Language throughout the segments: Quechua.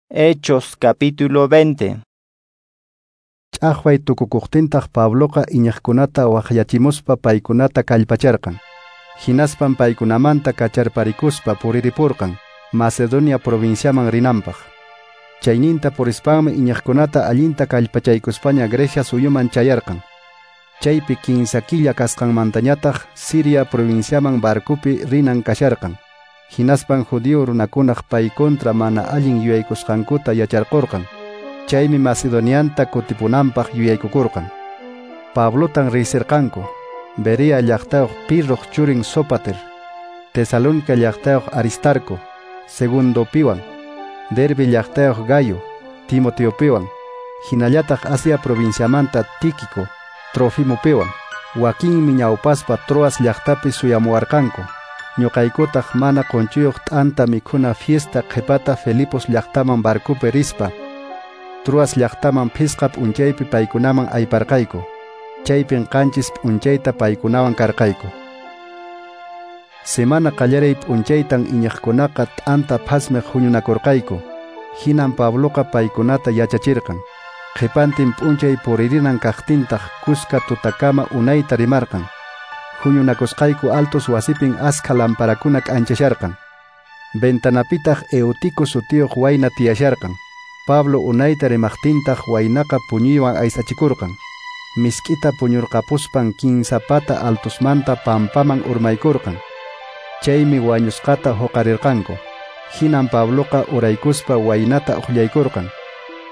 Hechos capítulo 20. Ch'aqway tukukuqtintaq Pabloqa iñiqkunata waqyachimuspa paykunata kallpacharqan. Hinaspan paykunamanta kacharparikuspa puriripurqan Macedonia provinciaman rinanpaq. Chayninta purispanmi iñiqkunata allinta kallpachaykuspaña Grecia suyuman chayarqan. Chaypi 15 killa kasqanmantañataq Siria provinciaman barcopi rinan kasharqan. Hinaspan judío runakunaq pay contra mana allin yuyaykusqankuta yacharqurqan. Chaymi Macedonianta kutipunanpaq yuyaykukurqan. Pablotan riysirqanku Berea llaqtayuq Pirroq churin Sópater, Tesalónica llaqtayuq Aristarco, Segundopiwan, Derbe llaqtayuq Gayo, Timoteopiwan, hinallataq Asia provinciamanta Tíquico, Trofimopiwan. Wakinmi ñawpaspa Troas llaqtapi suyamuwarqanku. Ñuqaykutaq mana qunchuyuq t'anta mikhuna fiesta qhipata Filipos llaqtaman barcopi rispa Troas llaqtaman phisqa p'unchaypi paykunaman ayparqayku. Chaypin 7 p'unchayta paykunawan karqayku. Semana qallaray p'unchaytan iñiqkunaqa t'anta phasmiq huñunakurqayku. Hinan Pabloqa paykunata yachachirqan. Qhipantin p'unchay puririnan kaqtintaq kuska tutakama unayta rimarqan. Huñunakusqayku altos wasipin askha lamparakuna k'anchasharqan. Ventanapitaq Eutico sutiyuq wayna tiyasharqan. Pablo unayta rimaqtintaq waynaqa puñuywan aysachikurqan. Misk'ita puñurqapuspan 15 pata altosmanta pampaman urmaykurqan. Chaymi wañusqata huqarirqanku. Hinan Pabloqa uraykuspa waynata uqllaykurqan.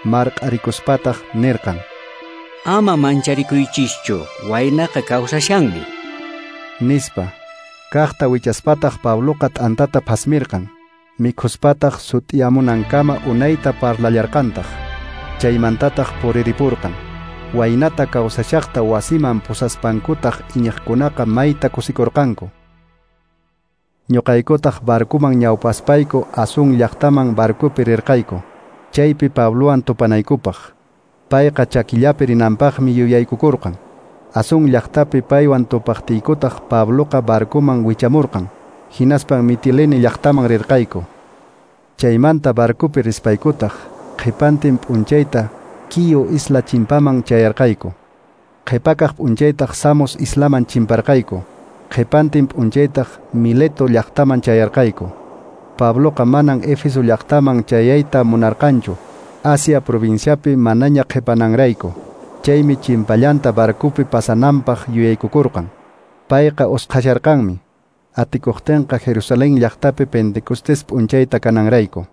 Marq'arikuspataq nirqan: Ama mancharikuychischu, waynaqa kawsashanmi. Nispa. Kaqta wichaspataq Pabloqa t'antata phasmirqan. Mikhuspataq sut'iyamunankama unayta parlallarqantaq. Chaymantataq puriripurqan. Waynata kawsashaqta wasiman pusaspankutaq iñiqkunaqa mayta kusikurqanku. Ñuqaykutaq barcoman ñawpaspayku Asun llaqtaman barcopi rirqayku. Chaypi Pablowan tupanaykupaq. Payqa chakillapi rinanpaqmi yuyaykukurqan. Asun llaqtapi paywan tupaqtiykutaq Pabloqa barcoman wichamurqan. Hinaspan Mitilene llaqtaman rirqayku. Chaymanta barcopi rispaykutaq qhipantin p'unchayta Quío isla chimpaman chayarqayku. Qhipakaq p'unchaytaq Samos islaman chimparqayku. Qhipantin p'unchaytaq Mileto llaqtaman chayarqayku. Pabloqa manan Éfeso llaqtaman chayayta munarqanchu, Asia provinciapi manaña qhipananrayku. Chaymi chimpallanta barcopi pasananpaq yuyaykukurqan. Payqa usqhasharqanmi. Atikuqtinqa Jerusalén llaqtapi Pentecostés p'unchayta kananrayku.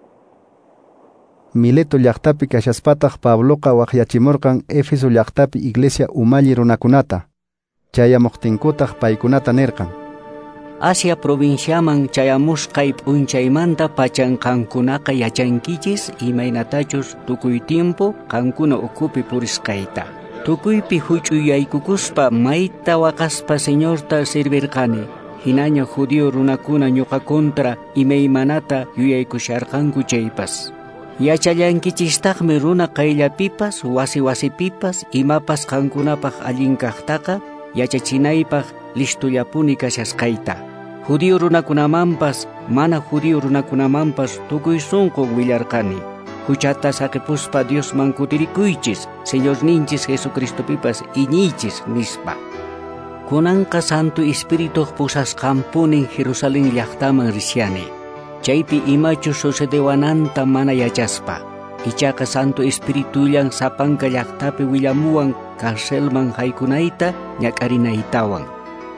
Mileto llaqtapi kashaspataq Pabloqa waqyachimurqan Éfeso llaqtapi iglesia umalli runakunata. Chayamuqtinkutaq paykunata nirqan: Asia provinciaman chayamusqay p'unchaymanta pachan qankunaqa yachankichis imaynatachus tukuy tiempo qankuna ukhupi purisqayta. Tukuypi huch'uyaykukuspa mayta waqaspa Señorta servirqani. Hinaña judío runakuna ñuqa contra imaymanata yuyaykusharqanku chaypas. Yachallankichistaqmi runa qayllapipas, wasi wasipipas, imapas qankunapaq allin kaqtaqa yachachinaypaq listullapuni kashasqayta. Judío runakunamanpas, mana judío runakunamanpas tukuy sunqu willarqani. Huchata saqipuspa Diosman kutirikuychis, Señorninchis Jesucristopipas iñiychis nispa. Kunanqa Santo Espirituq pusasqanpunin Jerusalén llaqtaman rishani. Chaypi imachus sucedewananta mana yachaspa. Ichaqa Santo Espiritullan sapanka llaqtapi willamuwan carcelman haykunayta ñak'arinaytawan.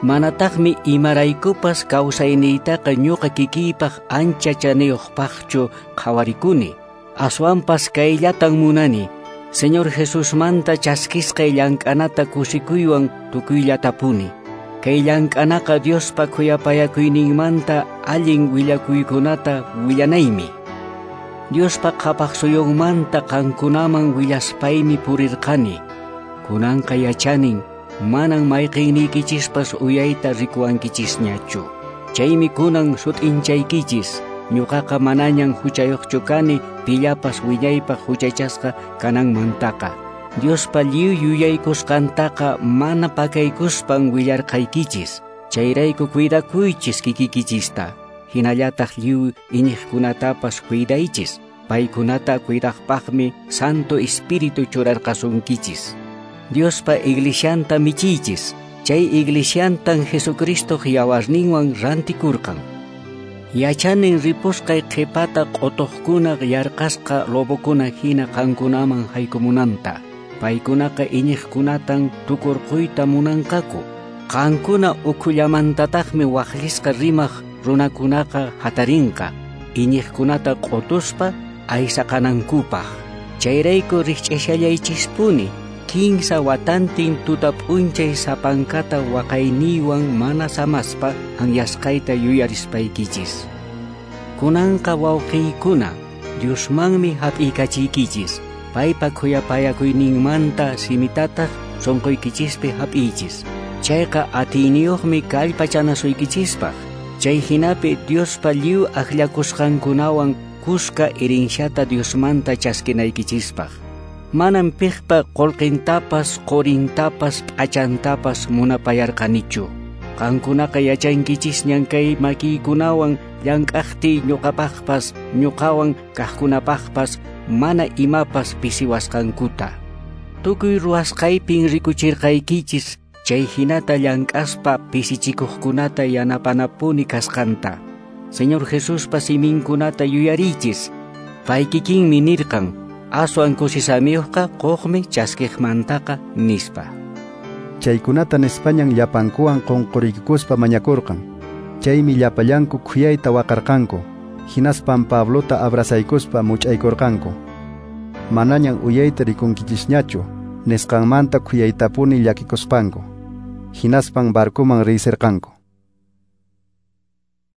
Manataqmi imaraykupas kawsayniytaqa ñuqa kikiypaq ancha chaniyuqpaqchu qhawarikuni. Aswanpas kayllatan munani. Señor Jesusmanta chaskisqay llank'anata kusikuywan tukuyllatapuni. Kay llank'anaqa Diospa khuyapayakuyninmanta allin willakuykunata willanaymi. Diospa qhapaq suyunmanta qankunaman willaspaymi purirqani. Kunanqa yachanin manan mayqinniykichispas uyayta rikuwankichisñachu. Chaymi kunan sut'inchaykichis. Ñuqaqa manañan huchayuqchu kani pillapas wiñaypaq huchachasqa kananmantaqa. Diospa lliw yuyaykusqantaqa mana pakaykuspan willarqaykichis. Chayrayku cuidakuychis kikikichista. Hinallataq lliw iñiqkunatapas cuidaychis. Paykunata cuidaqpaqmi Santo Espíritu churarqasunkichis. Diospa iglesianta michiychis. Chay iglesiantan Jesucristo yawarninwan rantikurqan. Yachanin ripusqay qhipata q'utuqkuna yarqasqa lobokuna hina qankunaman haykumunanta. Paykunaqa iñiqkunatan tukurquyta munanqaku. Qankuna ukhullamantataqmi waqllisqa rimaq runakunaqa hatarinqa. Iñiqkunata q'utuspa aysaqanankupaq. Chayrayku rikch'ashallaychispuni. 15 watantin tuta p'unchay sapankata waqayniywan mana samaspa anyasqayta yuyarispaykichis. Kunanqa wawqiykuna, Diosmanmi hap'iykachiykichis. Paypa khuyapayakuyninmanta simitataq sunquykichispi hap'iychis. Chayqa atiyniyuqmi kallpachanasuykichispaq. Chay hinapi Diospa lliw akllakusqankunawan kuska herenciata Diosmanta chaskinaykichispaq. Manam piqpa qullqintapas, qurintapas, p'achantapas munapayarqanichu. Qankunaqa yachankichisñan kay makiykunawan llank'aqtiy ñuqapaqpas, ñuqawan kaqkunapaqpas mana imapas pisiwasqankuta. Tukuy ruwasqaypin rikuchirqaykichis chay hinata llank'aspa pisichikuqkunata yanapanapuni kasqanta. Señor Jesuspa siminkunata yuyarichis. Pay kikinmi nirqan: aswan kusisamiyuqqa quqmi chaskiqmantaqa, nispa. Chaykunata nispañan llapankuwan qunquriykuspa mañakurqan. Chaymi llapallanku khuyayta waqarqanku. Hinaspan Pablota abrazaykuspa much'aykurqanku. Manañan uyayta rikunkichisñachu, nisqanmanta khuyaytapuni llakikuspanku. Hinaspan barcoman riysirqanku.